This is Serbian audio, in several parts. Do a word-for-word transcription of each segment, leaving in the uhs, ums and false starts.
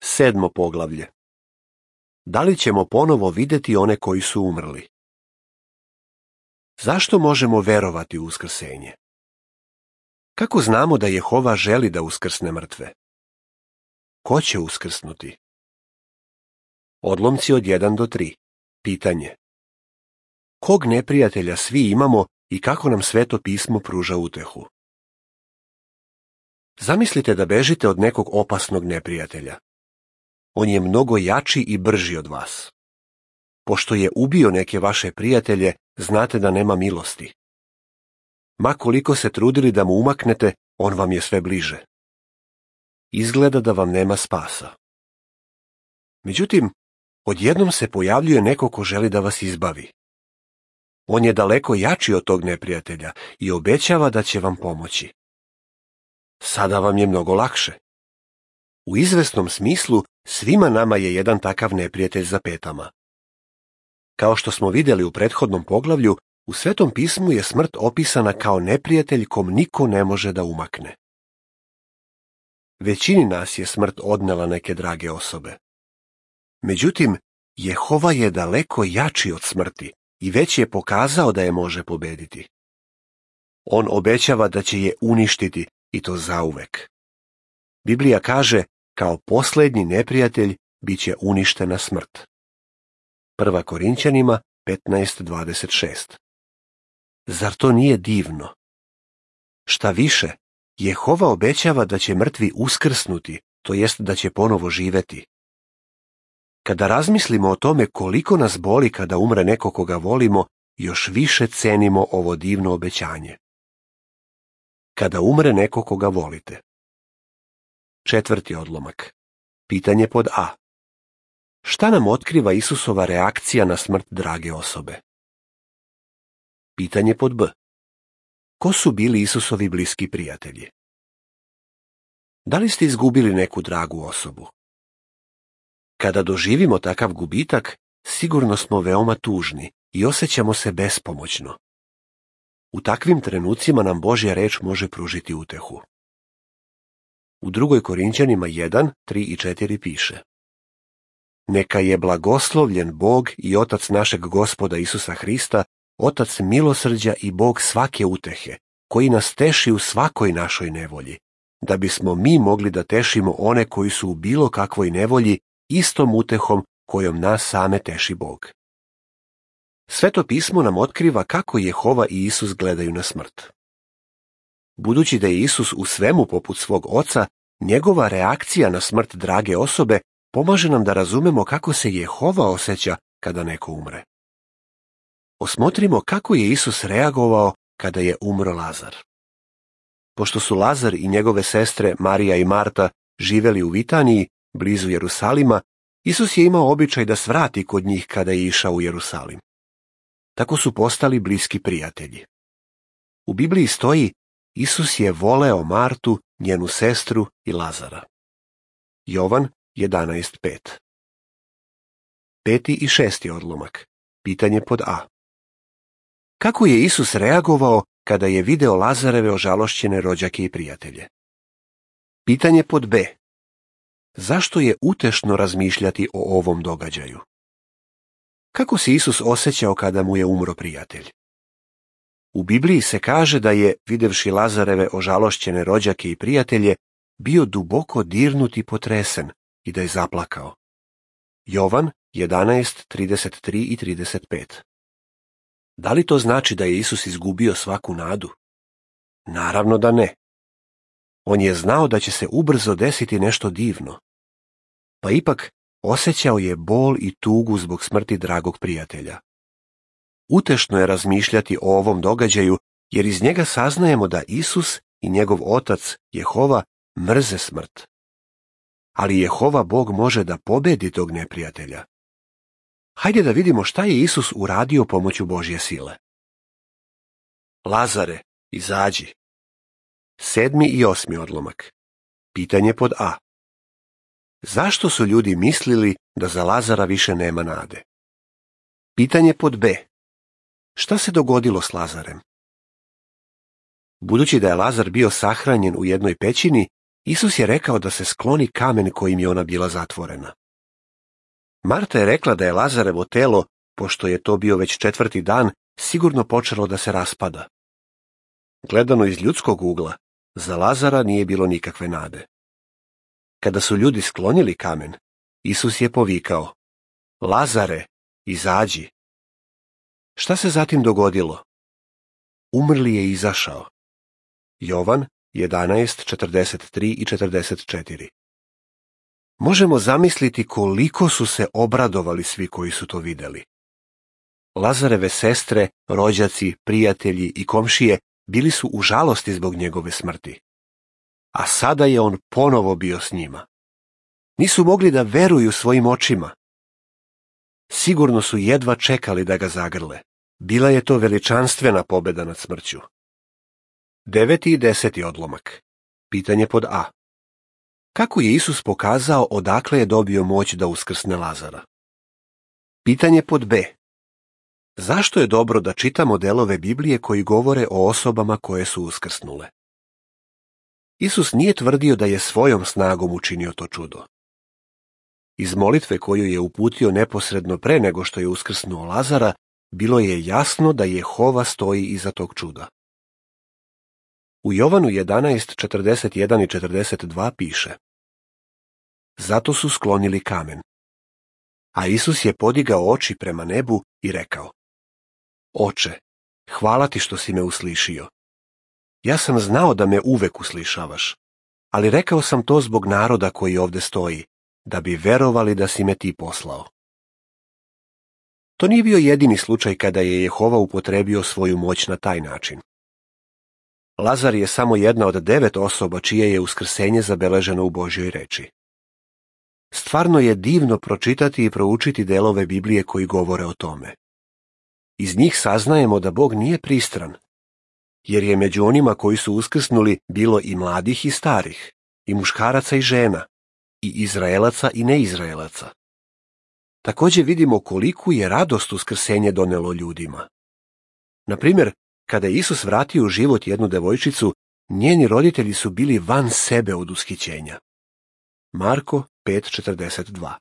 Sedmo poglavlje. Da li ćemo ponovo vidjeti one koji su umrli? Zašto možemo verovati u uskrsenje? Kako znamo da Jehova želi da uskrsne mrtve? Ko će uskrsnuti? Odlomci od jedan do tri. Pitanje. Kog neprijatelja svi imamo i kako nam Sveto pismo pruža utehu? Zamislite da bežite od nekog opasnog neprijatelja. On je mnogo jači i brži od vas. Pošto je ubio neke vaše prijatelje, znate da nema milosti. Ma koliko se trudili da mu umaknete, on vam je sve bliže. Izgleda da vam nema spasa. Međutim, odjednom se pojavljuje neko ko želi da vas izbavi. On je daleko jači od tog neprijatelja i obećava da će vam pomoći. Sada vam je mnogo lakše. U izvesnom smislu, svima nama je jedan takav neprijatelj za petama. Kao što smo vidjeli u prethodnom poglavlju, u Svetom pismu je smrt opisana kao neprijatelj kom niko ne može da umakne. Većini nas je smrt odnela neke drage osobe. Međutim, Jehova je daleko jači od smrti i već je pokazao da je može pobediti. On obećava da će je uništiti i to zauvek. Biblija kaže, kao posljednji neprijatelj bit će uništena smrt. Prva Korinćanima petnaest dvadeset šest. Zar to nije divno? Šta više, Jehova obećava da će mrtvi uskrsnuti, to jest da će ponovo živeti. Kada razmislimo o tome koliko nas boli kada umre neko koga volimo, još više cenimo ovo divno obećanje. Kada umre neko koga volite. Četvrti odlomak. Pitanje pod A. Šta nam otkriva Isusova reakcija na smrt drage osobe? Pitanje pod B. Ko su bili Isusovi bliski prijatelji? Da li ste izgubili neku dragu osobu? Kada doživimo takav gubitak, sigurno smo veoma tužni i osjećamo se bespomoćno. U takvim trenucima nam Božja reč može pružiti utehu. U drugoj Korinćanima jedan, tri i četiri piše: Neka je blagoslovljen Bog i Otac našeg Gospoda Isusa Hrista, Otac milosrđa i Bog svake utehe, koji nas teši u svakoj našoj nevolji, da bismo mi mogli da tešimo one koji su u bilo kakvoj nevolji istom utehom kojom nas same teši Bog. Sveto pismo nam otkriva kako Jehova i Isus gledaju na smrt. Budući da je Isus u svemu poput svog Oca, njegova reakcija na smrt drage osobe pomaže nam da razumemo kako se Jehova osjeća kada neko umre. Osmotrimo kako je Isus reagovao kada je umro Lazar. Pošto su Lazar i njegove sestre Marija i Marta živjeli u Vitaniji, blizu Jerusalima, Isus je imao običaj da svrati kod njih kada je išao u Jerusalim. Tako su postali bliski prijatelji. U Bibliji stoji: Isus je voleo Martu, njenu sestru i Lazara. Jovan jedanaest pet. Peti i šesti odlomak. Pitanje pod A. Kako je Isus reagovao kada je video Lazareve ožalošćene rođake i prijatelje? Pitanje pod B. Zašto je utešno razmišljati o ovom događaju? Kako se Isus osjećao kada mu je umro prijatelj? U Bibliji se kaže da je, videvši Lazareve ožalošćene rođake i prijatelje, bio duboko dirnut i potresen i da je zaplakao. Jovan jedanaest trideset tri i trideset pet. Da li to znači da je Isus izgubio svaku nadu? Naravno da ne. On je znao da će se ubrzo desiti nešto divno. Pa ipak osjećao je bol i tugu zbog smrti dragog prijatelja. Utešno je razmišljati o ovom događaju, jer iz njega saznajemo da Isus i njegov Otac, Jehova, mrze smrt. Ali Jehova Bog može da pobedi tog neprijatelja. Hajde da vidimo šta je Isus uradio pomoću Božje sile. Lazare, izađi. Sedmi i osmi odlomak. Pitanje pod A. Zašto su ljudi mislili da za Lazara više nema nade? Pitanje pod B. Šta se dogodilo s Lazarem? Budući da je Lazar bio sahranjen u jednoj pećini, Isus je rekao da se skloni kamen kojim je ona bila zatvorena. Marta je rekla da je Lazarevo telo, pošto je to bio već četvrti dan, sigurno počelo da se raspada. Gledano iz ljudskog ugla, za Lazara nije bilo nikakve nade. Kada su ljudi sklonili kamen, Isus je povikao: Lazare, izađi. Šta se zatim dogodilo? Umrli je izašao. Jovan jedanaest, četrdeset tri i četrdeset četiri. Možemo zamisliti koliko su se obradovali svi koji su to vidjeli. Lazareve sestre, rođaci, prijatelji i komšije bili su u žalosti zbog njegove smrti. A sada je on ponovo bio s njima. Nisu mogli da veruju svojim očima. Sigurno su jedva čekali da ga zagrle. Bila je to veličanstvena pobjeda nad smrću. Deveti i deseti odlomak. Pitanje pod A. Kako je Isus pokazao odakle je dobio moć da uskrsne Lazara? Pitanje pod B. Zašto je dobro da čitamo delove Biblije koji govore o osobama koje su uskrsnule? Isus nije tvrdio da je svojom snagom učinio to čudo. Iz molitve koju je uputio neposredno pre nego što je uskrsnuo Lazara, bilo je jasno da Jehova stoji iza tog čuda. U Jovanu jedanaest, četrdeset jedan i četrdeset dva piše: Zato su sklonili kamen. A Isus je podigao oči prema nebu i rekao: Oče, hvala ti što si me uslišio. Ja sam znao da me uvek uslišavaš, ali rekao sam to zbog naroda koji ovde stoji, da bi verovali da si me ti poslao. To nije bio jedini slučaj kada je Jehova upotrebio svoju moć na taj način. Lazar je samo jedna od devet osoba čije je uskrsenje zabeleženo u Božjoj reči. Stvarno je divno pročitati i proučiti delove Biblije koji govore o tome. Iz njih saznajemo da Bog nije pristran, jer je među onima koji su uskrsnuli bilo i mladih i starih, i muškaraca i žena, i Izraelaca i neizraelaca. Također vidimo koliku je radost uskrsenje donelo ljudima. Na primjer, kada je Isus vratio u život jednu devojčicu, njeni roditelji su bili van sebe od ushićenja. Marko pet četrdeset dva.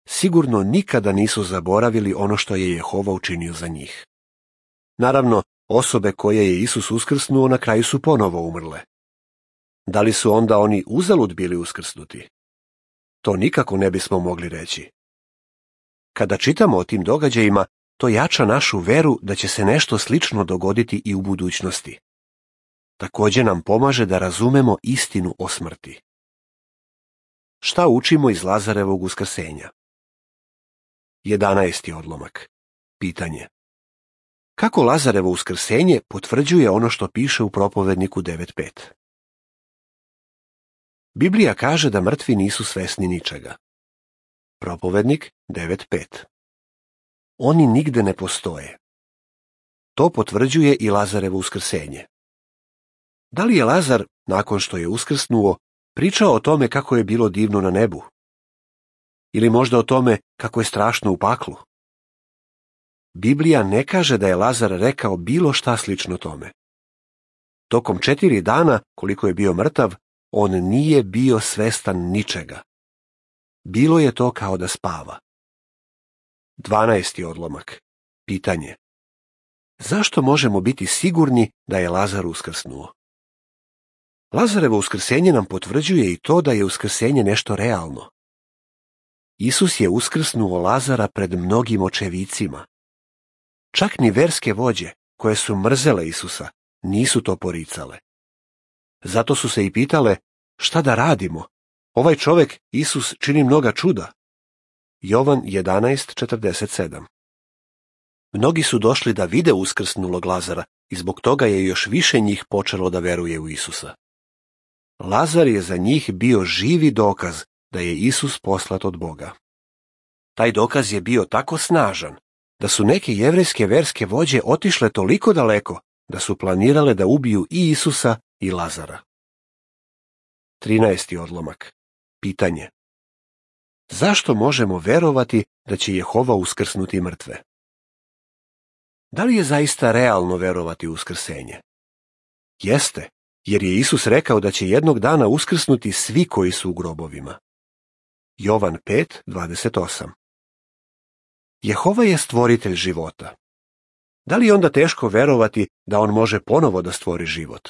Sigurno nikada nisu zaboravili ono što je Jehova učinio za njih. Naravno, osobe koje je Isus uskrsnuo na kraju su ponovo umrle. Da li su onda oni uzalud bili uskrsnuti? To nikako ne bismo mogli reći. Kada čitamo o tim događajima, to jača našu veru da će se nešto slično dogoditi i u budućnosti. Također nam pomaže da razumemo istinu o smrti. Šta učimo iz Lazarevog uskrsenja? jedanaesti odlomak. Pitanje. Kako Lazarevo uskrsenje potvrđuje ono što piše u propovedniku devet pet? Biblija kaže da mrtvi nisu svesni ničega. Propovednik devet pet. Oni nigde ne postoje. To potvrđuje i Lazarevo uskrsenje. Da li je Lazar, nakon što je uskrsnuo, pričao o tome kako je bilo divno na nebu? Ili možda o tome kako je strašno u paklu? Biblija ne kaže da je Lazar rekao bilo šta slično tome. Tokom četiri dana, koliko je bio mrtav, on nije bio svestan ničega. Bilo je to kao da spava. dvanaesti odlomak. Pitanje. Zašto možemo biti sigurni da je Lazar uskrsnuo? Lazarevo uskrsenje nam potvrđuje i to da je uskrsenje nešto realno. Isus je uskrsnuo Lazara pred mnogim očevicima. Čak ni verske vođe, koje su mrzele Isusa, nisu to poricale. Zato su se i pitale, šta da radimo? Ovaj čovjek, Isus, čini mnoga čuda. Jovan jedanaest četrdeset sedam. Mnogi su došli da vide uskrsnulog Lazara i zbog toga je još više njih počelo da veruje u Isusa. Lazar je za njih bio živi dokaz da je Isus poslat od Boga. Taj dokaz je bio tako snažan da su neke jevrejske verske vođe otišle toliko daleko da su planirale da ubiju i Isusa i Lazara. trinaesti odlomak. Pitanje. Zašto možemo verovati da će Jehova uskrsnuti mrtve? Da li je zaista realno verovati u uskrsenje? Jeste, jer je Isus rekao da će jednog dana uskrsnuti svi koji su u grobovima. Jovan pet dvadeset osam. Jehova je stvoritelj života. Da li je onda teško verovati da on može ponovo da stvori život?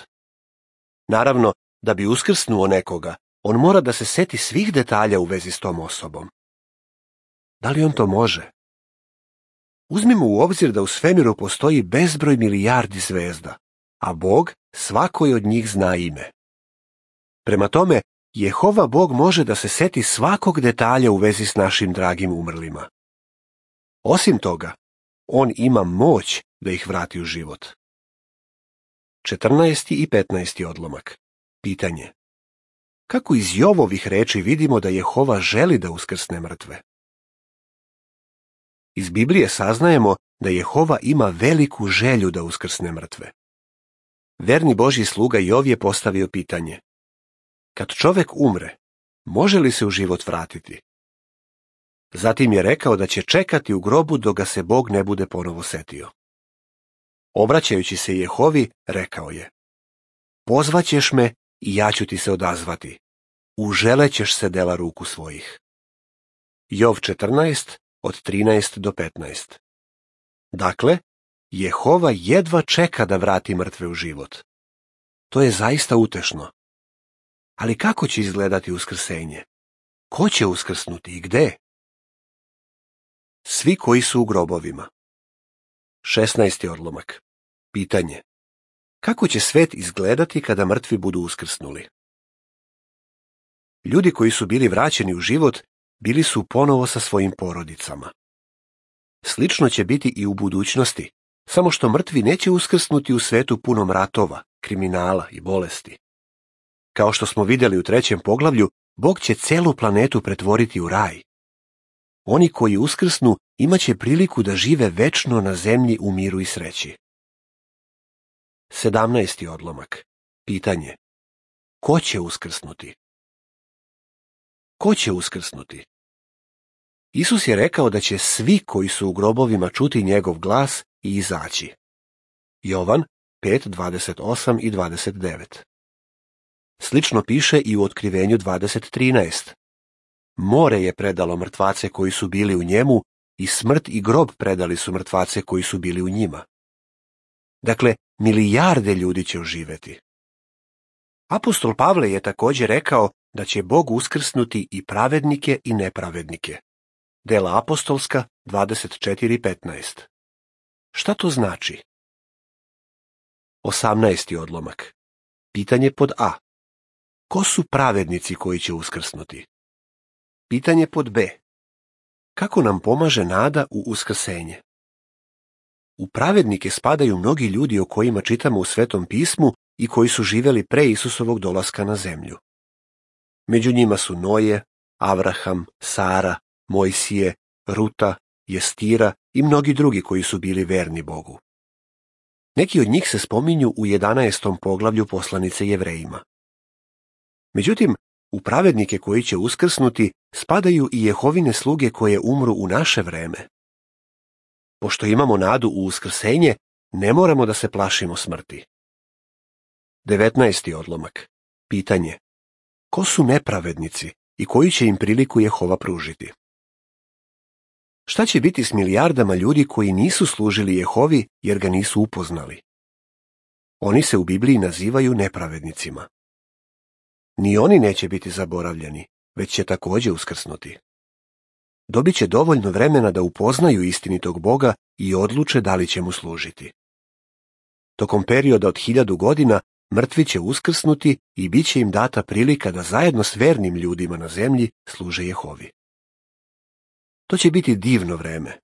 Naravno, da bi uskrsnuo nekoga, on mora da se seti svih detalja u vezi s tom osobom. Da li on to može? Uzmimo u obzir da u svemiru postoji bezbroj milijardi zvezda, a Bog svakoj od njih zna ime. Prema tome, Jehova Bog može da se seti svakog detalja u vezi s našim dragim umrlima. Osim toga, on ima moć da ih vrati u život. četrnaesti i petnaesti odlomak. Pitanje. Kako iz Jovovih reči vidimo da Jehova želi da uskrsne mrtve? Iz Biblije saznajemo da Jehova ima veliku želju da uskrsne mrtve. Verni Božji sluga Jov je postavio pitanje. Kad čovek umre, može li se u život vratiti? Zatim je rekao da će čekati u grobu dok ga se Bog ne bude ponovo setio. Obraćajući se Jehovi, rekao je: Pozvaćeš me i ja ću ti se odazvati. Uželećeš se dela ruku svojih. Jov četrnaest, od trinaest do petnaest. Dakle, Jehova jedva čeka da vrati mrtve u život. To je zaista utešno. Ali kako će izgledati uskrsenje? Ko će uskrsnuti i gde? Svi koji su u grobovima. šesnaesti odlomak. Pitanje. Kako će svet izgledati kada mrtvi budu uskrsnuli? Ljudi koji su bili vraćeni u život bili su ponovo sa svojim porodicama. Slično će biti i u budućnosti, samo što mrtvi neće uskrsnuti u svetu punom ratova, kriminala i bolesti. Kao što smo vidjeli u trećem poglavlju, Bog će celu planetu pretvoriti u raj. Oni koji uskrsnu imaće priliku da žive večno na zemlji u miru i sreći. sedamnaesti odlomak. Pitanje. Ko će uskrsnuti? Ko će uskrsnuti? Isus je rekao da će svi koji su u grobovima čuti njegov glas i izaći. Jovan pet dvadeset osam i dvadeset devet. Slično piše i u Otkrivenju dvadeset trinaest. More je predalo mrtvace koji su bili u njemu i smrt i grob predali su mrtvace koji su bili u njima. Dakle, milijarde ljudi će oživeti. Apostol Pavle je također rekao da će Bog uskrsnuti i pravednike i nepravednike. Dela apostolska dvadeset četiri petnaest. Šta to znači? osamnaesti odlomak. Pitanje pod A. Ko su pravednici koji će uskrsnuti? Pitanje pod B. Kako nam pomaže nada u uskrsenje? U pravednike spadaju mnogi ljudi o kojima čitamo u Svetom pismu i koji su živjeli pre Isusovog dolaska na zemlju. Među njima su Noje, Avraham, Sara, Mojsije, Ruta, Jestira i mnogi drugi koji su bili verni Bogu. Neki od njih se spominju u jedanaestom poglavlju poslanice Jevrejima. Međutim, u pravednike koji će uskrsnuti spadaju i Jehovine sluge koje umru u naše vreme. Pošto imamo nadu u uskrsenje, ne moramo da se plašimo smrti. devetnaesti odlomak. Pitanje. Ko su nepravednici i koju će im priliku Jehova pružiti? Šta će biti s milijardama ljudi koji nisu služili Jehovi jer ga nisu upoznali? Oni se u Bibliji nazivaju nepravednicima. Ni oni neće biti zaboravljeni, već će također uskrsnuti. Dobit će dovoljno vremena da upoznaju istinitog Boga i odluče da li će mu služiti. Tokom perioda od hiljadu godina mrtvi će uskrsnuti i bit će im data prilika da zajedno s vernim ljudima na zemlji služe Jehovi. To će biti divno vreme.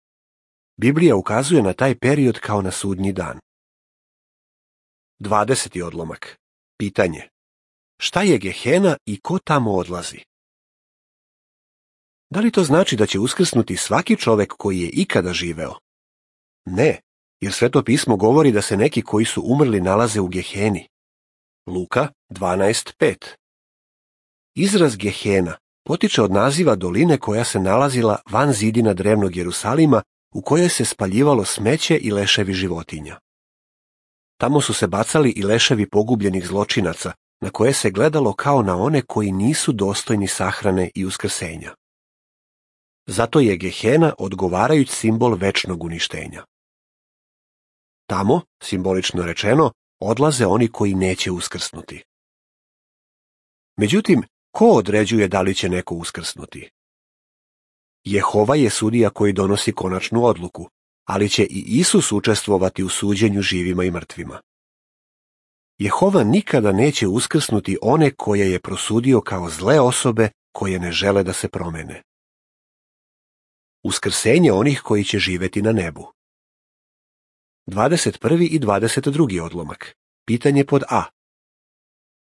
Biblija ukazuje na taj period kao na sudnji dan. dvadeseti odlomak. Pitanje. Šta je Gehena i ko tamo odlazi? Da li to znači da će uskrsnuti svaki čovek koji je ikada živeo? Ne, jer Sveto pismo govori da se neki koji su umrli nalaze u Geheni. Luka dvanaest pet. Izraz Gehena potiče od naziva doline koja se nalazila van zidina drevnog Jerusalima u kojoj se spaljivalo smeće i leševi životinja. Tamo su se bacali i leševi pogubljenih zločinaca, na koje se gledalo kao na one koji nisu dostojni sahrane i uskrsenja. Zato je Gehena odgovarajući simbol večnog uništenja. Tamo, simbolično rečeno, odlaze oni koji neće uskrsnuti. Međutim, ko određuje da li će neko uskrsnuti? Jehova je sudija koji donosi konačnu odluku, ali će i Isus učestvovati u suđenju živima i mrtvima. Jehova nikada neće uskrsnuti one koje je prosudio kao zle osobe koje ne žele da se promene. Uskrsenje onih koji će živeti na nebu. dvadeset prvi i dvadeset drugi odlomak. Pitanje pod A.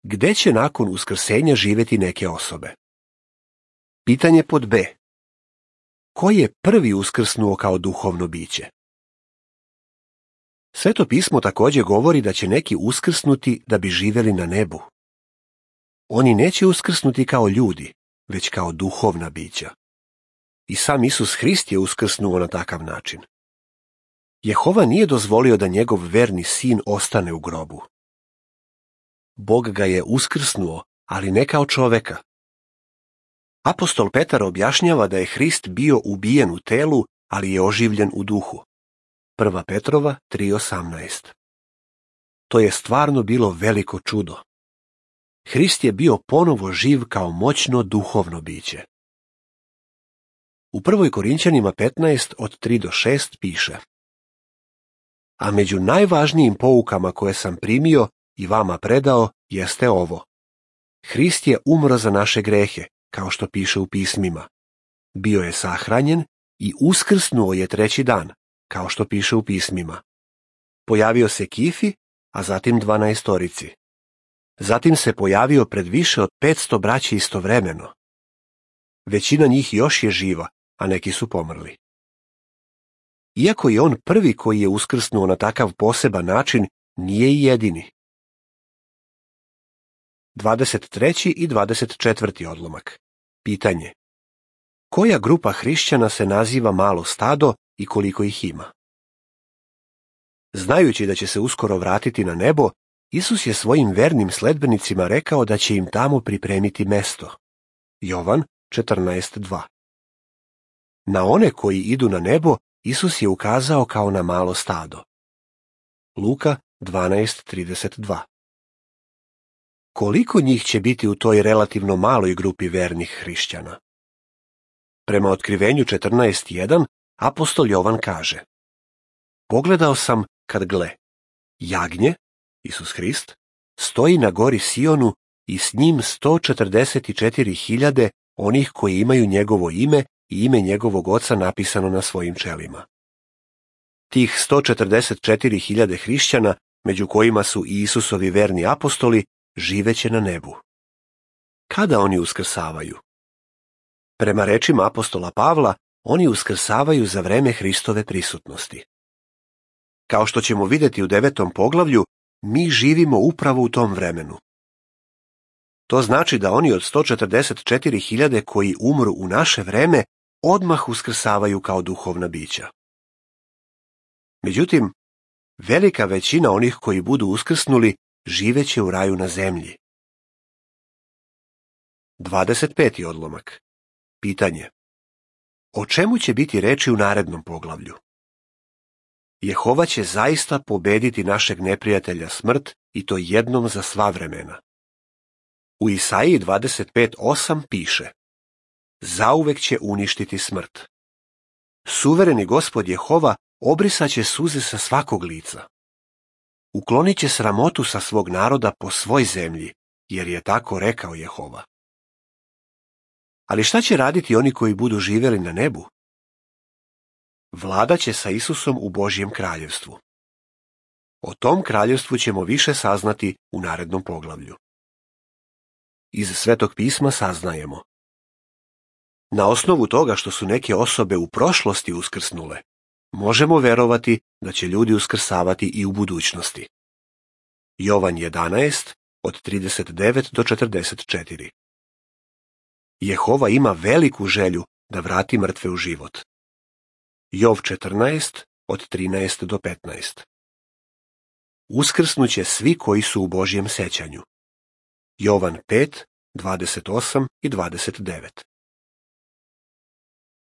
Gde će nakon uskrsenja živeti neke osobe? Pitanje pod B. Ko je prvi uskrsnuo kao duhovno biće? Sveto pismo također govori da će neki uskrsnuti da bi živeli na nebu. Oni neće uskrsnuti kao ljudi, već kao duhovna bića. I sam Isus Hrist je uskrsnuo na takav način. Jehova nije dozvolio da njegov verni sin ostane u grobu. Bog ga je uskrsnuo, ali ne kao čoveka. Apostol Petar objašnjava da je Hrist bio ubijen u telu, ali je oživljen u duhu. Prva Petrova tri osamnaest. To je stvarno bilo veliko čudo. Hrist je bio ponovo živ kao moćno duhovno biće. U prvoj Korinćanima petnaest od tri do šest piše: A među najvažnijim poukama koje sam primio i vama predao jeste ovo. Hrist je umro za naše grehe, kao što piše u pismima. Bio je sahranjen i uskrsnuo je treći dan, kao što piše u pismima. Pojavio se Kifi, a zatim dvanaestorici. Zatim se pojavio pred više od petsto braće istovremeno. Većina njih još je živa, a neki su pomrli. Iako je on prvi koji je uskrsnuo na takav poseban način, nije i jedini. dvadeset treći i dvadeset četvrti odlomak. Pitanje. Koja grupa hrišćana se naziva malo stado i koliko ih ima? Znajući da će se uskoro vratiti na nebo, Isus je svojim vernim sledbenicima rekao da će im tamo pripremiti mesto. Jovan četrnaest dva. Na one koji idu na nebo, Isus je ukazao kao na malo stado. Luka dvanaest trideset dva. Koliko njih će biti u toj relativno maloj grupi vernih hrišćana? Prema otkrivenju četrnaest jedan, apostol Jovan kaže: Pogledao sam kad gle, jagnje, Isus Hrist, stoji na gori Sionu i s njim sto četrdeset četiri hiljade onih koji imaju njegovo ime i ime njegovog oca napisano na svojim čelima. Tih sto četrdeset četiri hiljade hrišćana, među kojima su i Isusovi verni apostoli, živeće na nebu. Kada oni uskrsavaju? Prema rečima apostola Pavla, oni uskrsavaju za vreme Hristove prisutnosti. Kao što ćemo vidjeti u devetom poglavlju, mi živimo upravo u tom vremenu. To znači da oni od sto četrdeset četiri hiljade koji umru u naše vreme odmah uskrsavaju kao duhovna bića. Međutim, velika većina onih koji budu uskrsnuli živeće u raju na zemlji. dvadeset peti odlomak. Pitanje. O čemu će biti reči u narednom poglavlju? Jehova će zaista pobediti našeg neprijatelja smrt i to jednom za sva vremena. U Isaiji dvadeset pet osam piše: Zauvek će uništiti smrt. Suvereni Gospod Jehova obrisaće suze sa svakog lica. Uklonit će sramotu sa svog naroda po svoj zemlji, jer je tako rekao Jehova. Ali šta će raditi oni koji budu živjeli na nebu? Vlada će sa Isusom u Božjem kraljevstvu. O tom kraljevstvu ćemo više saznati u narednom poglavlju. Iz Svetog pisma saznajemo: na osnovu toga što su neke osobe u prošlosti uskrsnule, možemo verovati da će ljudi uskrsavati i u budućnosti. Jovan jedanaest od trideset devet do četrdeset četiri. Jehova ima veliku želju da vrati mrtve u život. Jov četrnaest od trinaest do petnaest. uskrsnuće svi koji su u Božjem sećanju. Jovan pet, dvadeset osam i dvadeset devet.